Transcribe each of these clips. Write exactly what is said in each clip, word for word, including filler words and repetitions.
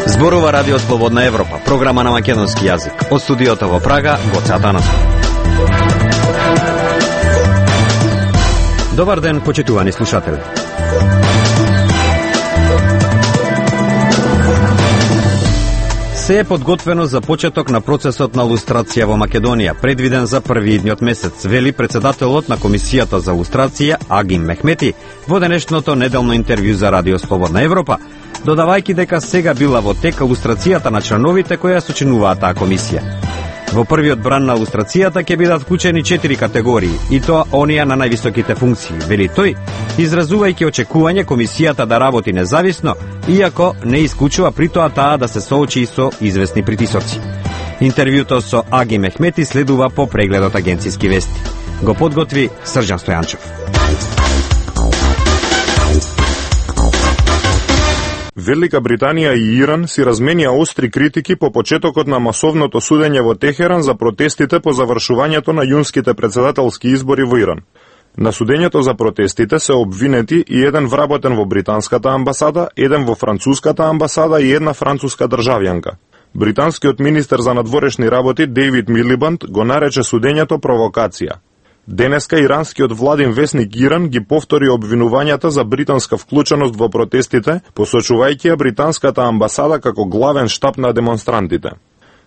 Зборува Радио Слободна Европа, програма на македонски јазик. Од студиото во Прага, Гоце Атанасов. Добар ден, почитувани слушатели. Се е подготвено за почеток на процесот на лустрација во Македонија, предвиден за први идниот месец, вели председателот на Комисијата за лустрација Агим Мехмети во денешното неделно интервју за Радио Слободна Европа, додавајќи дека сега била во тек лустрацијата на членовите кои ја сочинуваат таа комисија. Во првиот бран на лустрацијата ќе бидат вклучени четири категории, и тоа оние на највисоките функции, вели тој, изразувајќи очекување комисијата да работи независно, иако не исклучува при тоа таа да се соочи со известни притисоци. Интервјуто со Аги Мехмети следува по прегледот агенцијски вести. Го подготви Срđan Стојанчев. Велика Британија и Иран си разменија остри критики по почетокот на масовното судење во Техеран за протестите по завршувањето на јунските председателски избори во Иран. На судењето за протестите се обвинети и еден вработен во британската амбасада, еден во француската амбасада и една француска државјанка. Британскиот министер за надворешни работи Дейвид Милибанд го нарече судењето провокација. Денеска иранскиот владин весник Иран ги повтори обвинувањата за британска вклученост во протестите, посочувајќи ја британската амбасада како главен штаб на демонстрантите.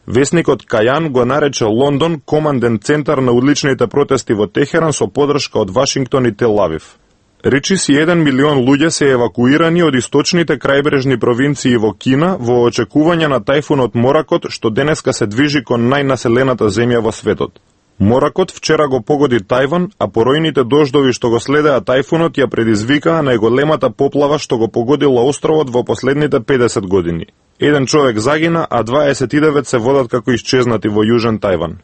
Весникот Кајан го нарече Лондон команден центар на уличните протести во Техеран со поддршка од Вашингтон и Тел Авив. Речиси еден милион луѓе се евакуирани од источните крајбрежни провинции во Кина во очекување на тајфунот Моракот, што денеска се движи кон најнаселената земја во светот. Моракот вчера го погоди Тајван, а поројните дождови што го следеа тајфунот ја предизвикаа најголемата поплава што го погодила островот во последните педесет години. Еден човек загина, а дваесет и девет се водат како исчезнати во Јужен Тајван.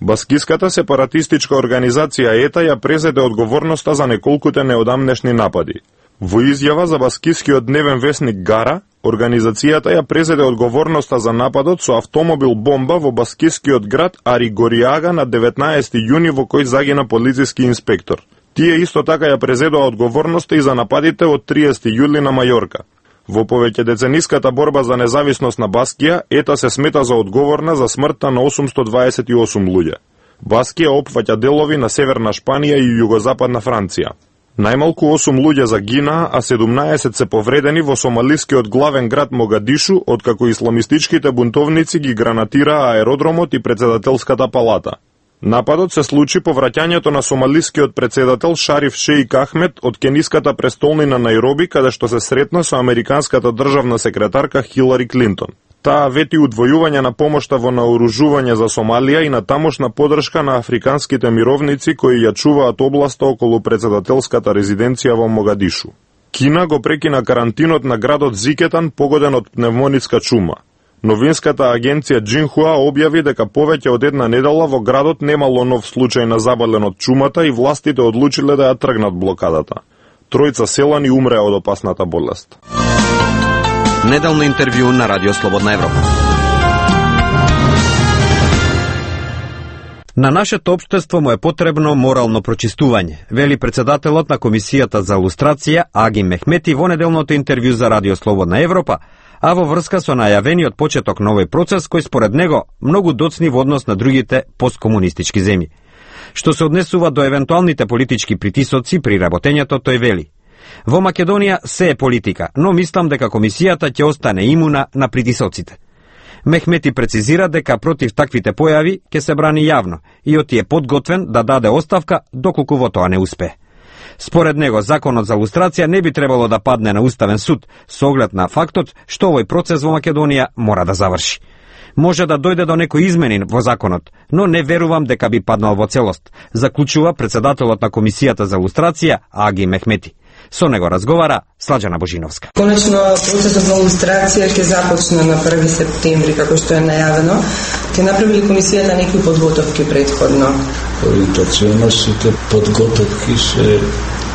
Баскиската сепаратистичка организација ЕТА ја презеде одговорноста за неколкуте неодамнешни напади. Во изјава за баскискиот дневен весник Гара, организацијата ја презеде одговорноста за нападот со автомобил бомба во баскискиот град Ари Гориага на деветнаесети јуни во кој загина полициски инспектор. Тие исто така ја презедоа одговорноста и за нападите од триесети јули на Мајорка. Во повеќедецениската борба за независност на Баскија, ЕТА се смета за одговорна за смртта на осумсто дваесет и осум луѓе. Баскија опфаќа делови на северна Шпанија и југозападна Франција. Најмалку осум луѓе загинаа, а седумнаесет се повредени во сомалискиот главен град Могадишу, откако исламистичките бунтовници ги гранатираа аеродромот и председателската палата. Нападот се случи по враќањето на сомалискиот председател Шариф Шеик Ахмед од кениската престолнина Најроби, каде што се сретна со американската државна секретарка Хилари Клинтон. Таа вети удвојување на помошта во наоружување за Сомалија и на тамошна поддршка на африканските мировници кои ја чуваат областа околу председателската резиденција во Могадишу. Кина го прекина карантинот на градот Зикетан погоден од пневмонитска чума. Новинската агенција Джинхуа објави дека повеќе од една недела во градот немало нов случај на заболен од чумата и властите одлучиле да ја тргнат блокадата. Тројца селани умреа од опасната болест. Неделно интервју на Радио Слободна Европа. На нашето општество му е потребно морално прочистување, вели председателот на Комисијата за лустрација Агим Мехмети во неделното интервју за Радио Слободна Европа, а во врска со најавениот почеток на овој процес кој според него многу доцни во однос на другите посткомунистички земји. Што се однесува до евентуалните политички притисоци при работењето, тој вели: во Македонија се е политика, но мислам дека комисијата ќе остане имуна на притисоците. Мехмети прецизира дека против таквите појави ќе се брани јавно и оти е подготвен да даде оставка доколку во тоа не успее. Според него, законот за лустрација не би требало да падне на Уставен суд со оглед на фактот што овој процес во Македонија мора да заврши. Може да дојде до некои измени во законот, но не верувам дека би паднал во целост, заклучува председателот на Комисијата за лустрација Аги Мехмети. Со него разговара Сладжана Божиновска. Конечно, процесот на лустрација ќе започне на први септември, како што е најавено. Ќе направи комисијата некои подготовки претходно? Ориентационно сите подготовки се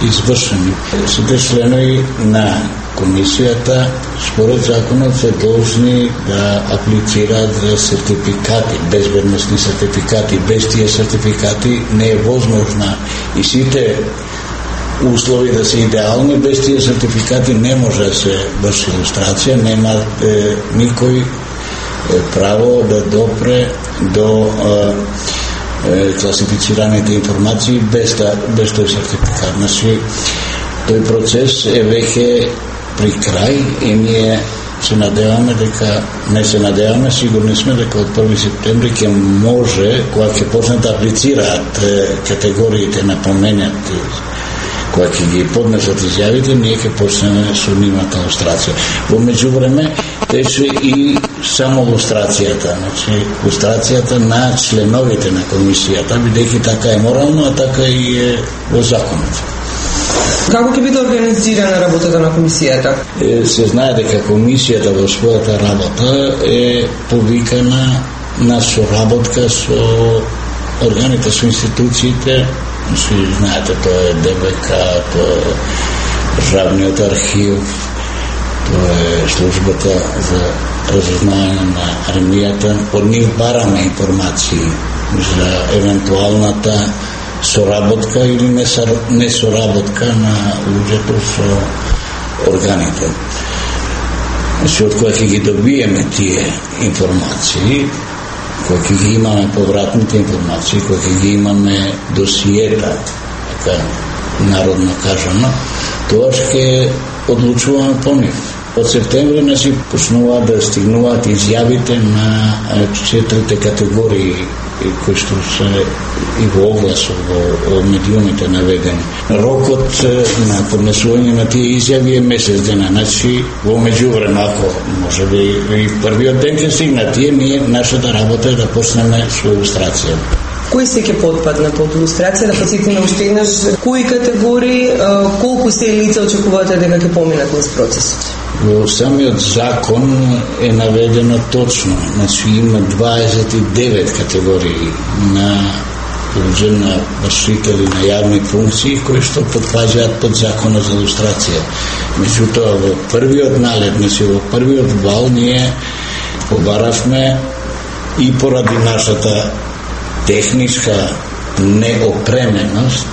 извршени. Сите членови на комисијата според законот се должни да аплицираат за сертификати, безбедносни сертификати. Без тие сертификати не е возможна и сите услови да се идеални, без тие сертификати не може да се врши илустрација, нема е, никој е, право да допре до е, класифицираните информации без, та, без тој сертификат. Значи, тој процес е веќе при крај и ние се надеваме дека, не се надеваме, сигурни сме дека од први септември ќе може, кога ќе почнат да аплицираат категориите на поменати, кога ќе ги поднесат изјавите, ние ќе почнеме со нивната лустрација. Во меѓувреме тече и само лустрацијата, значи лустрацијата на членовите на комисијата, бидејќи така е морално, а така и е во законот. Како ќе биде организирана работата на комисијата? Е, се знае дека комисијата во својата работа е повикана на соработка со органите, со институциите. Си знаете, тоа е Д Б К, тоа е Државниот архив, тоа е службата за разузнавање на армијата. Од нив бараме информации за евентуалната соработка или несоработка на луѓето со органите. Значи, од која ќе ги добиеме тие информации, која ќе ги имаме повратните информации, која ќе ги имаме досиета, така народно кажано, тоа ќе одлучуваме по нив. Од септември, значи, почнуваат да стигнуваат изјавите на четирите категории кои што се и во огласот, во медиумите наведени. Рокот на поднесување на тие изјави е месец дена, значи во меѓувреме, ако може би и првиот ден ќе стигнат тие, ние нашата работа е да почнеме со илустрација. Кои се ќе потпадна под илустрација? Да подсетиме уште еднаш кои категории, колку се лица очекувате дека ќе поминат низ процесот? Во самиот закон е наведено точно, значи има дваесет и девет категории на луѓе, на вршители на јавни функции кои што потпаѓаат под законот за илустрација. Меѓутоа во првиот налет, значи во првиот вал ние побаравме и поради нашата техничка неопременост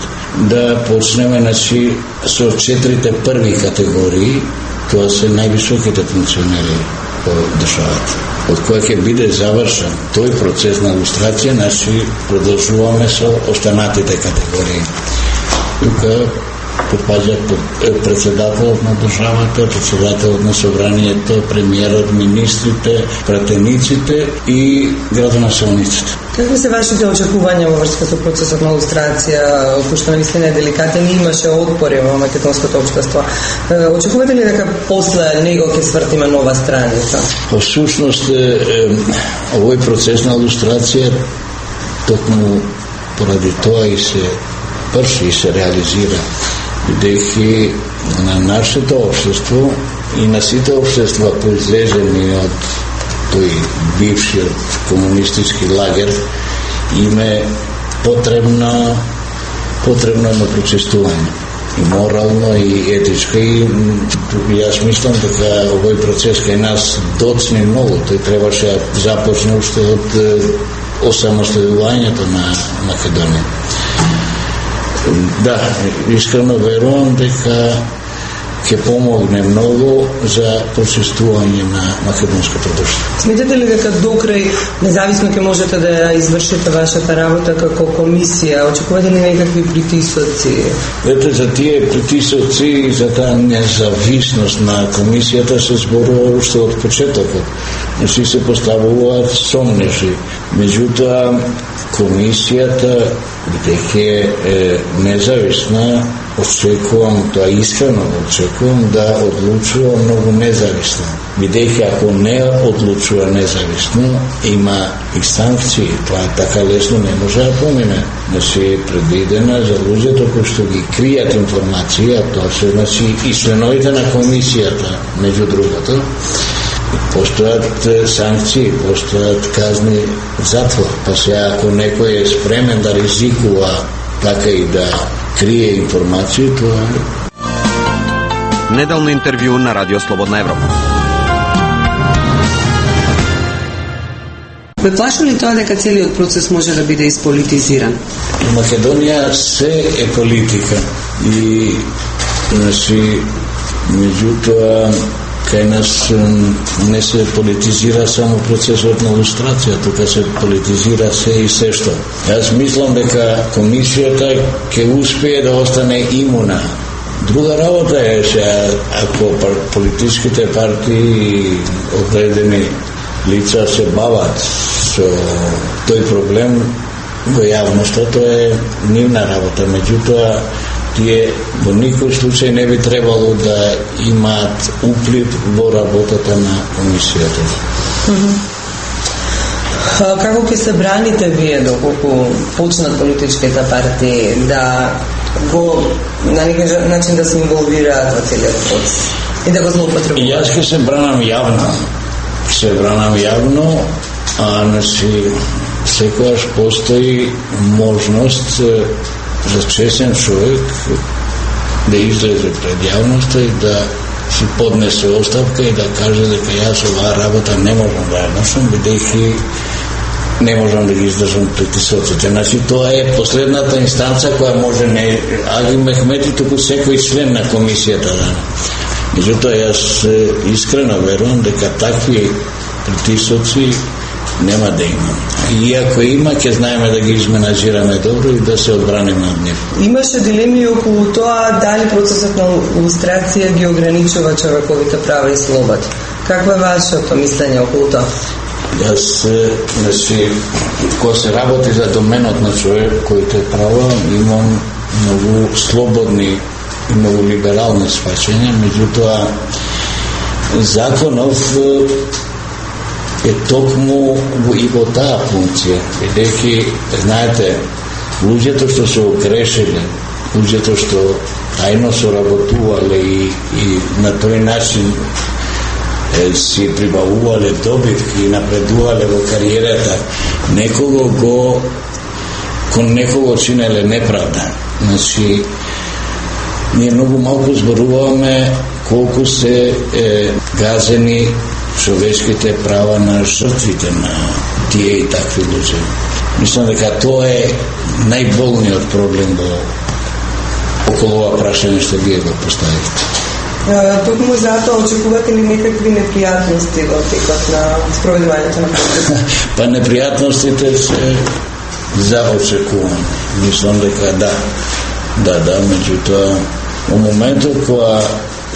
да почнеме, значи, со четирите први категории. Тоа се највисоките функционери во државата. Од која ќе биде завршен тој процес на илустрација, значи продолжуваме со останатите категории. Тука попаѓаат председателот на државата, председателот на собранието, премиерот, министрите, пратениците и градоначалниците. Какви се вашите очекувања во врска со процесот на илустрација, пошто наистина е деликатен и имаше отпори во македонското општество? Очекувате ли дека после него ќе свртиме нова страница? Во сушност, овој процес на илустрација токму поради тоа и се врши и се реализира, бидејќи на нашето општество и на сите општества произлезени од тој бившиот комунистички лагер им е потребно потребно на прочистување и морално и етичко, и јас мислам дека овој процес кај нас доцни многу. Тој требаше да започне уште од осамостојувањето на Македонија. Да, искрено верувам дека ќе помогне многу за прочистување на македонското друштво. Сметате ли дека докрај независно ќе можете да извршите вашата работа како комисија? Очекувате ли некакви притисоци? Ете, за тие притисоци и за таа независност на комисијата се зборува уште од почетокот. Значи се поставуваат сомнежи. Меѓутоа, комисијата, бидејќи е независна, очекувам, тоа искрено очекувам да одлучува многу независно. Бидејќи ако не одлучува независно, има и санкции. Тоа така лесно не може да помине. Значи е предвидена за луѓето кои што ги кријат информации, а тоа се, значи, и членовите на комисијата, меѓу другото, постојат санкции, постојат казни затвор. Па сега ако некој е спремен да ризикува така и да крие информации, тоа е. Неделно интервју на Радио Слободна Европа. Ве плаши ли тоа дека целиот процес може да биде исполитизиран? В Македонија се е политика. И значи меѓутоа кај нас не се политизира само процесот на лустрација, тука се политизира се и се што. Јас мислам дека комисијата ќе успее да остане имуна. Друга работа е се ако политичките партии и определени лица се бават со тој проблем во јавноста, тоа е нивна работа. Меѓутоа тие во никој случај не би требало да имаат уплив во работата на комисијата. Mm-hmm. Како ќе се браните вие доколку почнат политичките партии да го на некој начин да се инволвираат во целиот процес и да го злоупотребуваат? Јас ќе се бранам јавно. Се бранам јавно, а значи секогаш постои можност за честен човек да излезе пред јавноста и да си поднесе оставка и да каже дека јас оваа работа не можам да ја носам, бидејќи не можам да ги издржам притисоците. Значи, тоа е последната инстанца која може не Аги Мехмети, туку секој член на комисијата. Да. Меѓутоа, јас искрено верувам дека такви притисоци нема да има. И ако има, ќе знаеме да ги изменаџираме добро и да се одбраниме од нив. Имаше дилеми околу тоа дали процесот на лустрација ги ограничува човековите права и слободи. Какво е вашето мислење околу тоа? Јас, значи, кога се работи за доменот на човековите права, имам многу слободни и многу либерални сваќања, меѓутоа законов е токму и во таа функција, бидејќи, знаете, луѓето што се огрешиле, луѓето што тајно соработувале и, и на тој начин е, си прибавувале добивки и напредувале во кариерата, некого го кон некого чинеле неправда. Значи, ние многу малку зборуваме колку се е, газени човечките права на жртвите на тие и такви луѓе. Мислам дека тоа е најболниот проблем во околу ова прашање што вие го поставивте. Токму затоа очекувате ли некакви непријатности во текот на спроведувањето на процесот? Па непријатностите се за очекуване. Мислам дека да. Да, да, меѓутоа во моментот кога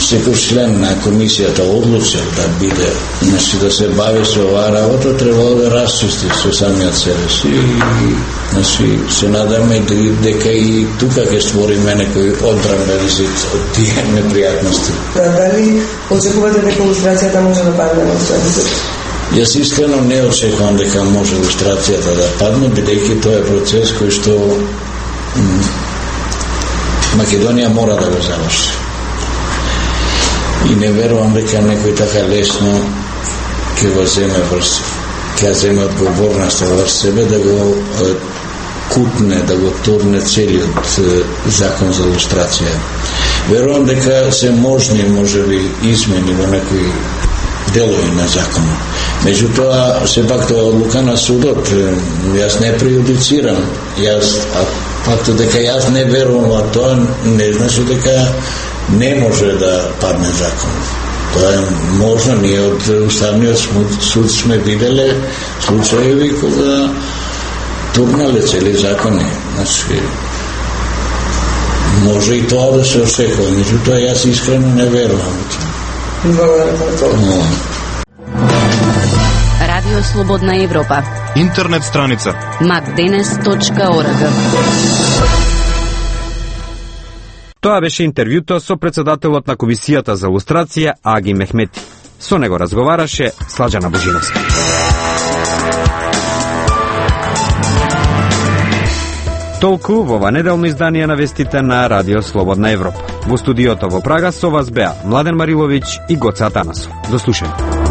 секој член на комисијата одлучил да биде, значи да се бави со оваа работа, требало да расчисти со самиот себе си и значи се надаме дека и тука ќе створиме некој одбранбен зид од тие непријатности. Да, дали очекувате дека лустрацијата може да падне на следниот? Јас искрено не очекувам дека може лустрацијата да падне, бидејќи тоа е процес кој што Македонија мора да го заврши. И не верувам дека некој така лесно ќе го земе врз, ќе земе одговорноста врз себе да го е, кутне, да го турне целиот е, закон за лустрација. Верувам дека се можни, можеби, измени во некои делови на законот. Меѓутоа, сепак тоа е одлука на судот. Јас не преюдицирам. Јас, а фактот дека јас не верувам во тоа, не значи дека не може да падне закон. Тоа е можно, ние од Уставниот суд сме виделе случаеви кога турнале цели закони. Значи, може и тоа да се очекува, меѓутоа јас искрено не верувам во тоа. Благодарам за тоа. Радио Слободна Европа. Интернет страница макденес точка орг. Тоа беше интервјуто со председателот на Комисијата за лустрација Аги Мехмети. Со него разговараше Слаđana Божиновска. Толку во ова неделно издание на вестите на Радио Слободна Европа. Во студиото во Прага со вас беа Младен Мариловиќ и Гоце Атанасов. До слушање.